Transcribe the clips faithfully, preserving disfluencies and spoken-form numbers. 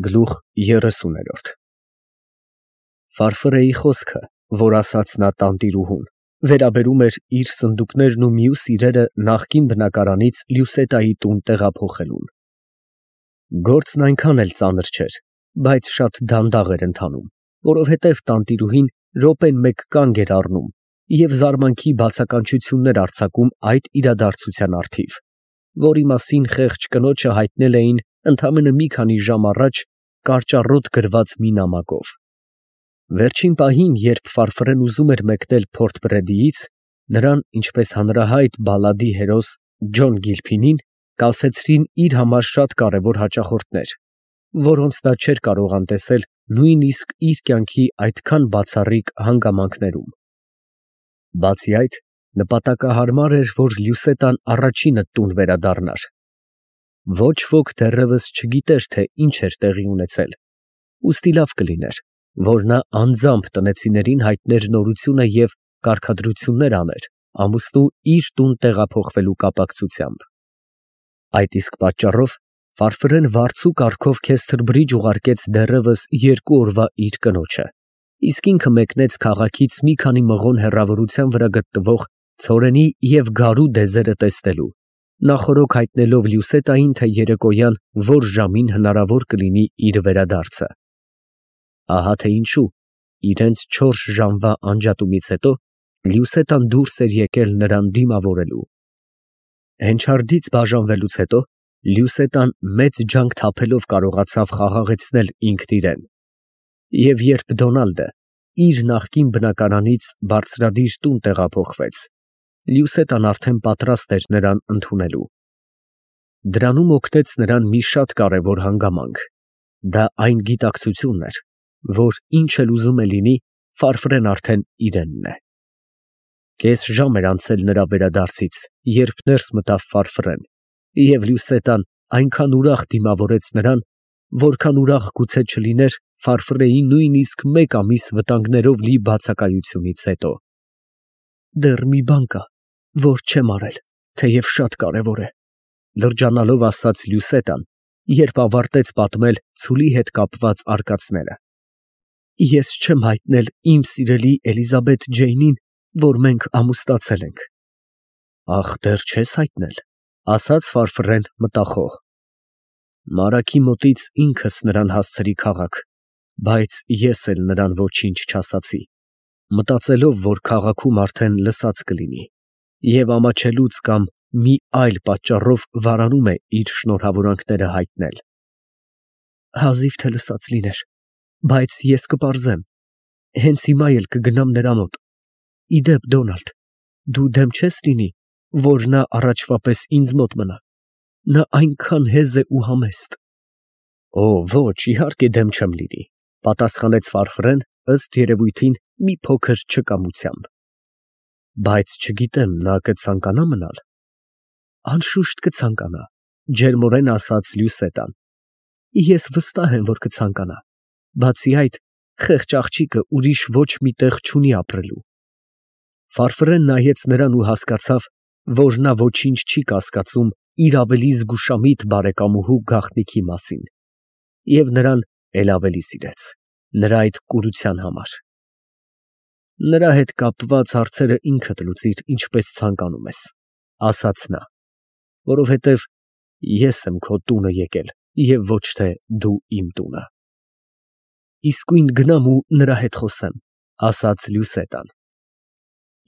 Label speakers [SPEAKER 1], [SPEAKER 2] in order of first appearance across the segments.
[SPEAKER 1] Գլուխ երեսուներորդ Ֆարֆրեի խոսքը, որ ասաց նա տանտիրուհուն, վերաբերում էր իր սնդուկներն ու մյուս իրերը նախկին բնակարանից Լյուսետայի տուն տեղափոխելուն։ Գործն այնքան էլ ծանր չէր, բայց շատ դանդաղ էր ընթանում, որովհետև տանտիրուհին րոպեն մեկ կանգ էր առնում և զարմանքի բացականչություններ արձակում այդ իրադարձության առթիվ, որի մասին խեղճ կնոջը հայտնել էին ընդամենը մի քանի ժամ առաջ կարճառոտ գրված մի նամակով։ Վերջին պահին, երբ Ֆարֆրեն ուզում էր մեկնել Փորթ Բրեդիից, նրան, ինչպես հանրահայտ բալլադի հերոս Ջոն Գիլփինին, կասեցրին իր համար շատ կարևոր հաճախորդներ, որոնց նա չէր կարող անտեսել նույնիսկ իր կյանքի այդքան բացառիկ հանգամանքներում։ Բացի այդ, նպատակահարմար էր, որ Լյուսետան առաջինը տուն վերադառնար։ Ոչ ոք դեռևս չգիտեր, թե ինչ էր տեղի ունեցել, ուստի լավ կլիներ, որ նա անձամբ տնեցիներին հայտներ նորությունը և կարգադրություններ աներ ամուսնու իր տուն տեղափոխվելու կապակցությամբ։ Այդ իսկ պատճառով Ֆարֆրեն վարձու կարգով քեստր բրիջ ուղարկեց դեռևս երկու օրվա իր կնոջը, իսկ ինքը մեկնեց քաղաքից մի քանի մղոն հեռավորության վրա գտնվող ցորենի և գարու դեզերը տեսնելու, նախօրոք հայտնելով Լյուսետային, թե երեկոյան որ ժամին հնարավոր կլինի իր վերադարձը։ Ահա թե ինչու իրենց չորս ժամվա անջատումից հետո Լյուսետան դուրս էր եկել նրան դիմավորելու։ Հենչարդից բաժանվելուց հետո Լյուսետան մեծ ջանք թափելով կարողացավ խաղաղեցնել ինքն իրեն, և երբ Դոնալդը իր նախկին բնակարանից բարձրադիր տուն տեղափոխվեց, Լյուսետան արդեն պատրաստ էր նրան ընդունելու։ Դրանում օգնեց նրան մի շատ կարևոր հանգամանք. դա այն գիտակցությունն էր, որ ինչ էլ ուզում է լինի, Ֆարֆրեն արդեն իրենն է։ Կես ժամ էր անցել նրա վերադարձից, երբ ներս մտավ Ֆարֆրեն, և Լյուսետան այնքան ուրախ դիմավորեց նրան, որքան ուրախ գուցե չլիներ Ֆարֆրեի նույնիսկ մեկ ամիս վտանգներով լի բացակայությունից հետո։ «Դեռ մի բան կա, որ չեմ արել, թեև շատ կարևոր է», լրջանալով ասաց Լյուսետան, երբ ավարտեց պատմել ցուլի հետ կապված արկածները։ «Ես չեմ հայտնել իմ սիրելի Էլիզաբեթ Ջեյնին, որ մենք ամուսնացել ենք»։ «Ախ, դեռ չես հայտնել», ասաց Ֆարֆրեն մտախոհ։ «Մարակի մոտից ինքս նրան հասցրի քաղաք, բայց ես էլ նրան ոչինչ չասացի, մտածելով, որ քաղաքում արդեն լսած կլինի և ամաչելուց կամ մի այլ պատճառով վարանում է իր շնորհավորանքները հայտնել»։ «Հազիվ թե լսած լիներ, բայց ես կպարզեմ, հենց հիմա էլ կգնամ նրա մոտ։ Ի դեպ, Դոնալդ, դու դեմ չես լինի, որ նա առաջվա պես ինձ մոտ մնա, նա այնքան հեզ է ու համեստ»։ «Օ, ոչ, իհարկե դեմ չեմ լինի», պատասխանեց Ֆարֆրեն, ըստ երևույթին մի փոքր չկամությամբ։ «Բայց չգիտեմ, նա կցանկանա մնալ»։ «Անշուշտ կցանկանա», ջերմորեն ասաց Լյուսետան։ «Ես վստահ եմ, որ կցանկանա, բացի այդ, խեղճ աղջիկը ուրիշ ոչ մի տեղ չունի ապրելու»։ Ֆարֆրեն նայեց նրան ու հասկացավ, որ նա ոչինչ չի կասկածում իր ավելի զգուշամիտ բարեկամուհու գաղտնիքի մասին, և նրան էլ ավելի սիրեց, նրա այդ կուրության համար։ «Նրա հետ կապված հարցերը ինքդ լուծիր, ինչպես ցանկանում ես», ասաց նա, «որովհետև ես եմ քո տունը եկել և ոչ թե դու իմ տունը»։ «Իսկույն գնամ ու նրա հետ խոսեմ», ասաց Լյուսետան։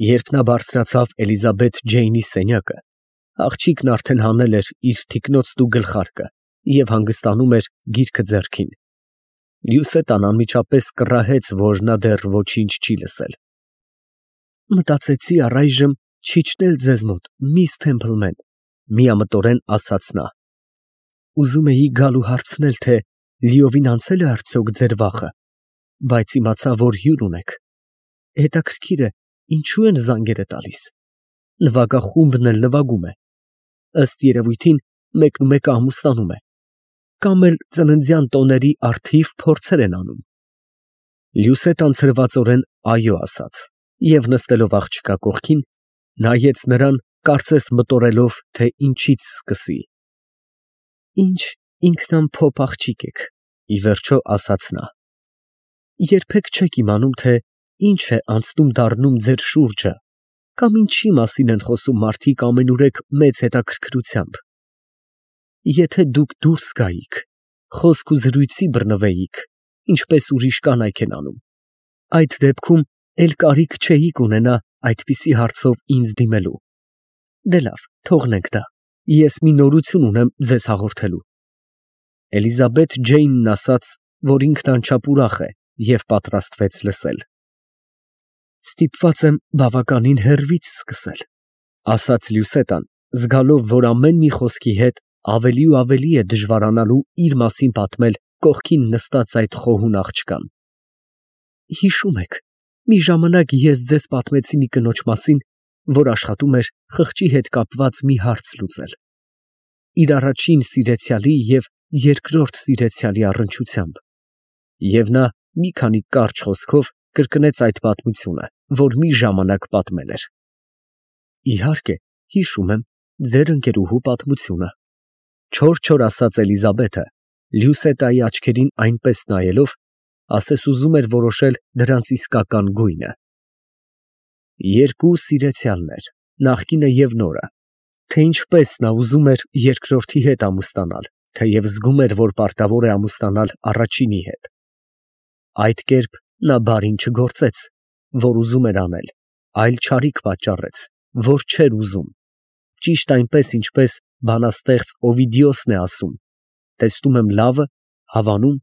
[SPEAKER 1] Երբ նա բարձրացավ Էլիզաբեթ Ջեյնի սենյակը, աղջիկն արդեն հանել էր իր թիկնոցն ու գլխարկը և հանգստանում էր գիրքը ձեռքին։ Լյուսետան անմիջապես կռահեց, որ նա դեռ ոչինչ չի լսել։ «Մտածեցի առայժմ չիջնել ձեզ մոտ, միս Թեմփլմեն», միամտորեն ասաց նա։ «Ուզում էի գալ ու հարցնել, թե լիովին անցե՞լ է արդյոք ձեր վախը, բայց իմացա, որ հյուր ունեք։ Հետաքրքիր է, ինչու են զանգերը տալիս։ Նվագախումբն էլ նվագում է։ Ըստ երևույթին, մեկնումեկը ամուսնանում է, կամ էլ ծննդյան տոների առթիվ փորձեր են անում»։ Լյուսետան ցրվածորեն այո ասաց և նստելով աղջկա կողքին, նայեց նրան, կարծես մտորելով, թե ինչից սկսի։ «Ինչ ինքնամփոփ աղջիկ եք, Ի վերջո ասաց նա. երբեք չեք իմանում, թե ինչ է անցնում դառնում ձեր շուրջը, կամ ինչի մասին են խոսում մարդիկ ամենուրեք մեծ հետաքրքրությամբ։ Եթե դուք դուրս գայիք, խոսք ու զրույցի բռնվեիք, ինչպես ուրիշ կանայք են անում, այդ դեպքում էլ կարիք չէիք ունենա այդպիսի հարցով ինձ դիմելու։ Դե լավ, թողնենք դա, ես մի նորություն ունեմ ձեզ հաղորդելու։ Էլիզաբեթ Ջեյնն ասաց, որ ինքն անչափ ուրախ է և պատրաստվեց լսել։ Ստիպված եմ բավականին հեռվից սկսել, ասաց Լյուսետան, զգալով, որ ամեն մի խոսքի հետ ավելի ու ավելի է դժվարանալու իր մասին պատմել կողքին նստած այդ խոհուն աղջկան։ Հիշում եք, մի ժամանակ ես ձեզ պատմեցի մի կնոջ մասին, որ աշխատում էր խղճի հետ կապված մի հարց լուծել։ Իր առաջին սիրեցյալի և երկրորդ սիրեցյալի առնչությամբ։ Եվ նա մի քանի կարճ խոսքով կրկնեց այդ պատմությունը, որ մի ժամանակ պատմել էր։ Իհարկե, հիշում եմ ձեր ընկերուհու պատմությունը, չոր-չոր ասաց Էլիզաբեթը, Լյուսետայի աչքերին այնպես նայելով, ասես ուզում էր որոշել դրանց իսկական գույնը։ Երկու սիրեցյալներ, նախկինը և նորը, թե ինչպես նա ուզում էր երկրորդի հետ ամուսնանալ, թեև զգում էր, որ պարտավոր է ամուսնանալ առաջինի հետ։ Այդ կերպ նա բարին չգործեց, որ ուզում էր անել, այլ չարիք պատճառեց, որ չէր ուզում, ճիշտ այնպես, ինչպես բանաստեղծ Օվիդիոսն է ասում. տեսնում եմ լավը, հավանում,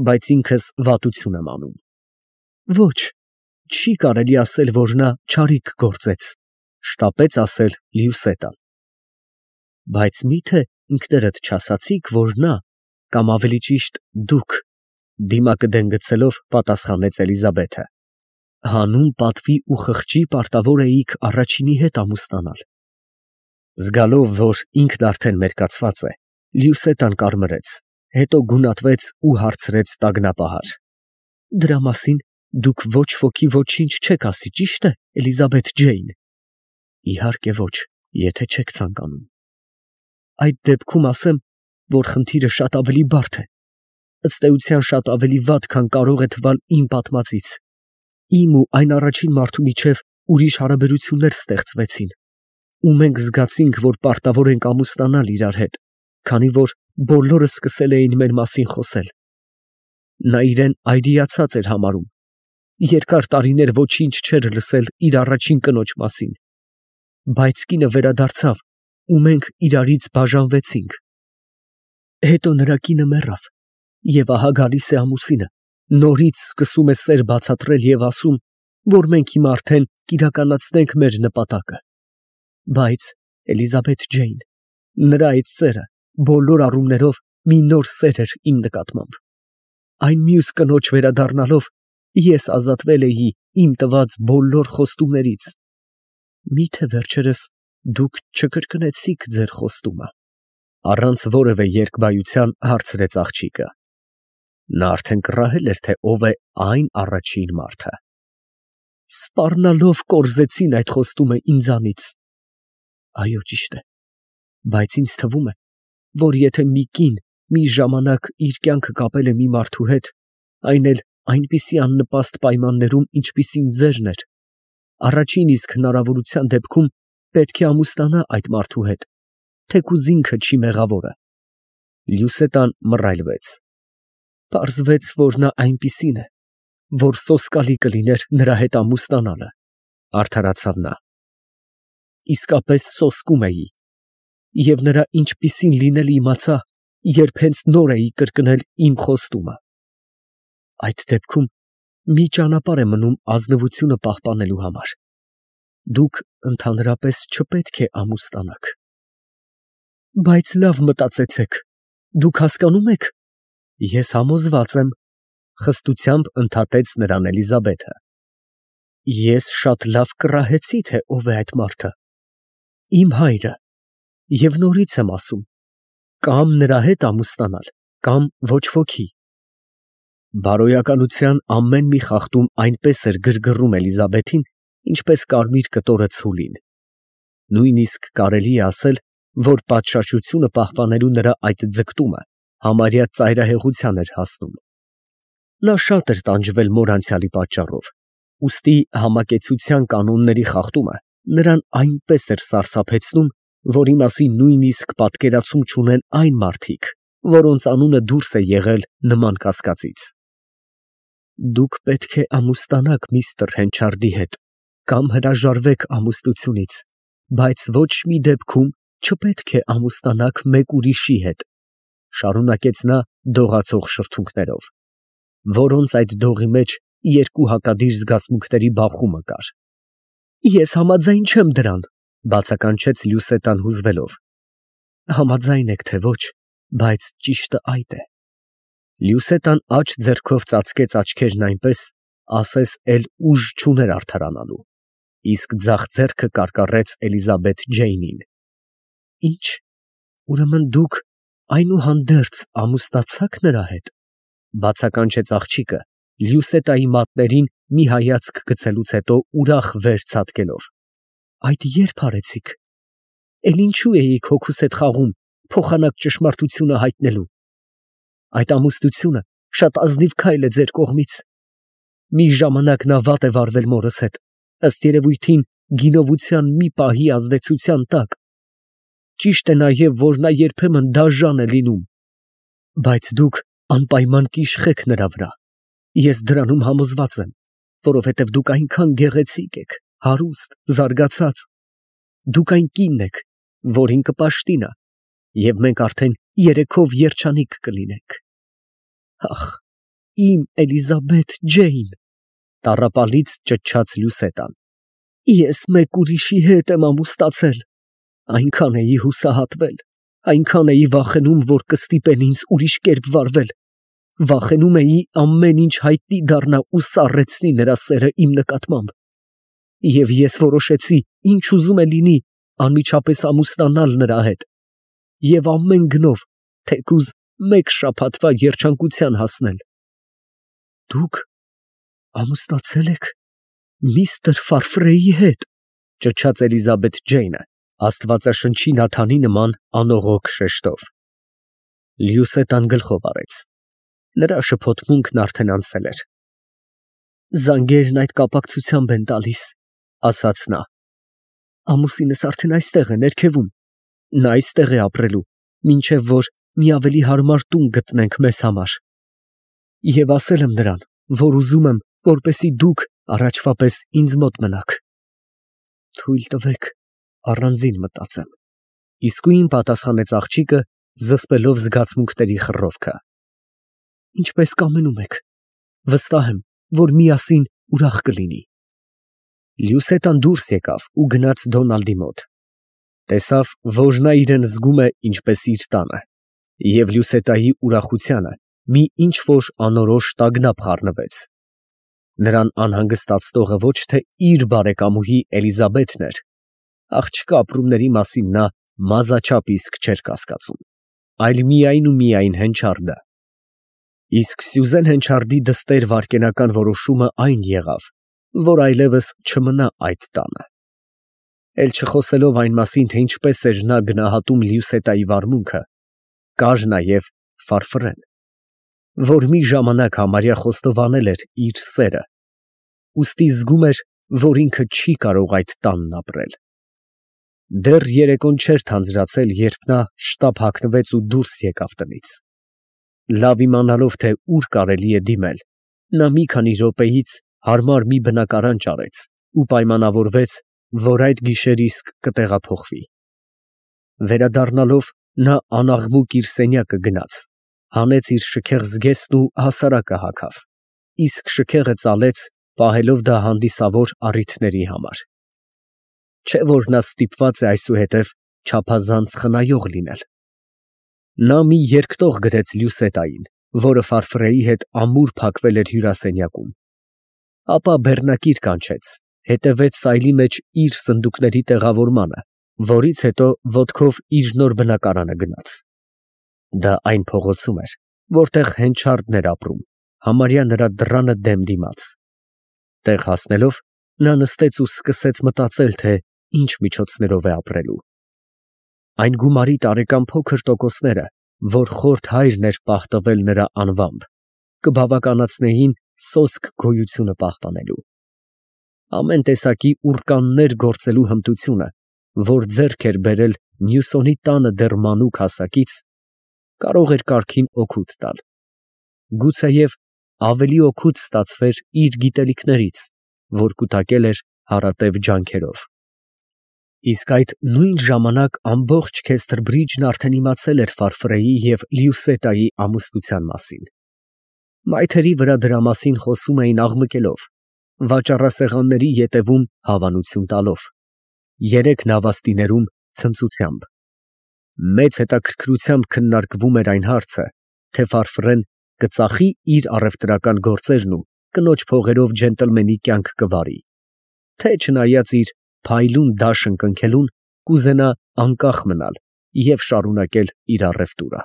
[SPEAKER 1] բայց ինքս վատություն եմ անում։ Ոչ, չի կարելի ասել, որ նա չարիք գործեց, շտապեց ասել Լյուսետան։ Բայց մի՞թե ինքներդ չասացիք, որ նա, կամ ավելի ճիշտ դուք, դիմակը դեն գցելով պատասխանեց Էլիզաբեթը, հանուն պատվի ու խղճի պարտավոր էիք առաջինի հետ ամուսնանալ։ Զգալով, որ ինքն արդեն մերկացված է, Լյուսետան կարմրեց, հետո գունատվեց ու հարցրեց տագնապահար. Դրա մասին դուք ոչ ոքի ոչինչ չեք ասի, ճի՞շտ է, Էլիզաբեթ Ջեյն։ Իհարկե ոչ, եթե չեք ցանկանում։ Այդ դեպքում ասեմ, որ խնդիրը շատ ավելի բարդ է, ըստ էության շատ ավելի վատ, քան կարող է թվալ իմ պատմածից։ Իմ ու այն առաջին մարդու միջև ուրիշ հարաբերություններ ստեղծվեցին, ու մենք զգացինք, որ պարտավոր ենք ամուսնանալ իրար հետ, քանի որ բոլորը սկսել էին մեր մասին խոսել։ Նա իրեն այրիացած էր համարում, երկար տարիներ ոչինչ չէր լսել իր առաջին կնոջ մասին, բայց կինը վերադարձավ, ու մենք իրարից բաժանվեցինք։ Հետո նրա կինը մեռավ, և ահա գալիս է ամուսինը, նորից սկսում է սեր բացատրել և ասում, որ մենք հիմա արդեն կիրականացնենք մեր նպատակը։ Բայց, Էլիզաբեթ Ջեյն, նրա այդ սերը բոլոր առումներով մի նոր սեր էր իմ նկատմամբ։ Այն մյուս կնոջ վերադառնալով, ես ազատվել էի իմ տված բոլոր խոստումներից։ Մի՞թե վերջերս դուք չկրկնեցիք ձեր խոստումը։ Առանց որևէ երկբայության հարցրեց աղջիկը։ Նա արդեն կռահել էր, թե ով է այն առաջին մարդը։ Սպառնալով կորզեցին այդ խոստումը ինձանից։ Այո, ճիշտ է, բայց ինձ թվում է, որ եթե մի կին մի ժամանակ իր կյանքը կապել է մի մարդու հետ, այն էլ այնպիսի աննպաստ պայմաններում, ինչպիսին ձերն էր, առաջին իսկ հնարավորության դեպքում պետք է ամուսնանա այդ մարդու հետ, թեկուզ ինքը չի մեղավորը։ Լյուսետան մռայլվեց։ Պարզվեց, որ նա այնպիսին է, որ սոսկալի կլիներ նրա հետ ամուսնանալը, արդարացավ նա։ Իսկապես սոսկում էի, և նրա ինչպիսին լինելը իմացա, երբ հենց նոր էի կրկնել իմ խոստումը։ Այդ դեպքում մի ճանապարհ է մնում ազնվությունը պահպանելու համար։ Դուք ընդհանրապես չպետք է ամուսնանաք։ Բայց լավ մտածեցեք, դուք հասկանում եք։ Ես համոզված եմ, խստությամբ ընդհատեց նրան Էլիզաբեթը։ Ես շատ լավ կռահեցի, թե ով է այդ մարդը։ Իմ հայրը, և նորից եմ ասում, կամ նրա հետ ամուսնանալ, կամ ոչ ոքի։ Բարոյականության ամեն մի խախտում այնպես էր գրգռում Էլիզաբեթին, ինչպես կարմիր կտորը ցուլին։ Նույնիսկ կարելի է ասել, որ պատշաճությունը պահպանելու նրա այդ ձգտումը համարյա ծայրահեղության էր հասնում։ Նա շատ էր տանջվել մոր անցյալի պատճառով, ուստի համակեցության կանոնների խախտումը նրան այնպես էր սարսափեցնում, որի մասին նույնիսկ պատկերացում չունեն այն մարդիկ, որոնց անունը դուրս է եղել նման կասկածից։ Դուք պետք է ամուսնանաք միստր Հենչարդի հետ կամ հրաժարվեք ամուսնությունից, բայց ոչ մի դեպքում չպետք է ամուսնանաք մեկ ուրիշի հետ, շարունակեց նա դողացող շրթունքներով, որոնց այդ դողի մեջ երկու հակադիր զգացմունքների բախումը կար։ Ես համաձայն չեմ դրան, բացականչեց Լյուսետան հուզվելով։ Համաձայն եք թե ոչ, բայց ճիշտը այդ է։ Լյուսետան աջ ձեռքով ծածկեց աչքերն այնպես, ասես էլ ուժ չուներ արդարանալու, իսկ ձախ ձեռքը կարկառեց Էլիզաբեթ Ջեյնին։ Ինչ, ուրեմն դուք այնուհանդերձ ամուսնացաք նրա հետ, բացականչեց աղջիկը, Լյուսետայի մատներին մի հայացք գցելուց հետո ուրախ վեր ցատկելով։ Այդ երբ արեցիք։ Էլ ինչու էիք հոգուս հետ խաղում, փոխանակ ճշմարտությունը հայտնելու։ Այդ ամուսնությունը շատ ազնիվ քայլ է ձեր կողմից։ Մի ժամանակ նա վատ է վարվել մորս հետ, ըստ երևույթին գինովության մի պահի ազդեցության տակ։ Ճիշտ է նաև, որ նա երբեմն դաժան է լինում, բայց դուք անպայման կիշխեք նրա վրա։ Ես դրանում համոզված եմ, որովհետև դուք այնքան գեղեցիկ եք, հարուստ, զարգացած։ Դուք այն կինն եք, որին կպաշտինա, և մենք արդեն երեքով երջանիկ կլինենք։ Ախ, իմ Էլիզաբեթ Ջեյն, տառապալից ճչաց Լյուսետան, ես մեկ ուրիշի հետ եմ ամուսնացել, այնքան էի հուսահատվել, այնքան էի վախենում, որ կստիպեն ինձ ուրիշ կերպ վարվել, վախենում էի ամեն ինչ հայտնի դառնա ու սառեցնի նրա սերը իմ նկատմամբ, և ես որոշեցի, ինչ ուզում է լինի, անմիջապես ամուսնանալ նրա հետ և ամեն գնով, թեկուզ մեկ շաբաթվա երջանկության հասնել։ Դուք ամուսնացել եք միստր Ֆարֆրեի հետ, ճչաց Էլիզաբեթ Ջեյնը, աստվածաշնչի Նաթանի նման անողոք շեշտով։ Լյուսետան գլխով արեց։ Նրա շփոթմունքն արդեն անցել էր։ Զանգերն այդ կապակցությամբ են տալիս, ասաց նա։ Ամուսինս արդեն այստեղ է ներքևում, նա այստեղ է ապրելու, մինչև որ մի ավելի հարմար տուն գտնենք մեզ համար։ Եվ ասել եմ նրան, որ ուզում եմ, որպեսզի դուք առաջվա պես ինձ մոտ մնաք։ Թույլ տվեք առանձին մտածեմ, իսկույն պատասխանեց աղջիկը, զսպելով զգացմունքների խռովքը։ Ինչպես կամենում եք, վստահ եմ, որ միասին ուրախ կլինի։ Լյուսետան դուրս եկավ ու գնաց Դոնալդի մոտ։ Տեսավ, որ նա իրեն զգում է ինչպես իր տանը, և Լյուսետայի ուրախությանը մի ինչ-որ անորոշ տագնապ խառնվեց։ Նրան անհանգստացնողը ոչ թե իր բարեկամուհի Էլիզաբեթն էր, աղջկա ապրումների մասին նա մազաչափ իսկ չէր կասկածում, այլ միայն ու միայն Հենչարդը։ Իսկ Սյուզեն Հենչարդի դստեր վայրկենական որոշումը այն եղավ, որ այլևս չմնա այդ տանը։ Էլ չխոսելով այն մասին, թե ինչպես էր նա գնահատում Լյուսետայի վարմունքը, կար նաև Ֆարֆրեն, որ մի ժամանակ համարյա խոստովանել էր իր սերը, ուստի զգում էր, որ ինքը չի կարող այդ տանն ապրել։ Դեռ երեկոն չէր թանձրացել, երբ նա շտապ հագնվեց ու դուրս եկավ տնից։ Լավ իմանալով, թե ուր կարելի է դիմել, նա մի քանի րոպեից հարմար մի բնակարան ճարեց ու պայմանավորվեց, որ այդ գիշեր իսկ կտեղափոխվի։ Վերադառնալով, նա անաղմուկ իր սենյակը գնաց, հանեց իր շքեղ զգեստն ու հասարակը հագավ, իսկ շքեղը ծալեց, պահելով դա հանդիսավոր առիթների համար։ Չէ՞ որ նա ստիպված է այսուհետև չափազանց խնայող լինել։ Նա մի երկտող գրեց Լյուսետային, որը Ֆարֆրեի հետ ամուր փակվել էր հյուրասենյակում, ապա բեռնակիր կանչեց, հետևեց սայլի մեջ իր սնդուկների տեղավորմանը, որից հետո ոտքով իր նոր բնակարանը գնաց։ Դա այն փողոցում էր, որտեղ Հենչարդն էր ապրում, համարյա նրա դռանը դեմ դիմաց։ Տեղ հասնելով, նա նստեց ու սկսեց մտածել, թե ինչ միջոցներով է ապրելու։ Այն գումարի տարեկան փոքր տոկոսները, որ խորթ հայրն էր պահ տվել նրա անվամբ, կբավականացնեին սոսկ գոյությունը պահպանելու։ Ամեն տեսակի ուռկաններ գործելու հմտությունը, որ ձեռք էր բերել Մյուսոնի տանը դեռ մանուկ հասակից, կարող էր կառքին օգուտ տալ, գուցեև ավելի օգուտ ստացվեր իր գիտելիքներից, որ կուտակել էր հարատև ջանքերով։ Իսկ այդ նույն ժամանակ ամբողջ Քեսթրբրիջն արդեն իմացել էր Ֆարֆրեի և Լիուսետայի ամուսնության մասին։ Մայթերի վրա դրա մասին խոսում էին աղմկելով, վաճառասեղանների ետևում հավանություն տալով, երեք նավաստիներում ցնծությամբ։ Մեծ հետաքրքրությամբ քննարկվում էր այն հարցը, թե Ֆարֆրեն կծախի իր առևտրական գործերն ու կնոջ փողերով ջենտլմենի կյանք կվարի, թե չնայած իր փայլուն դաշն կնքելուն, կուզենա անկախ մնալ և շարունակել իր առևտուրը։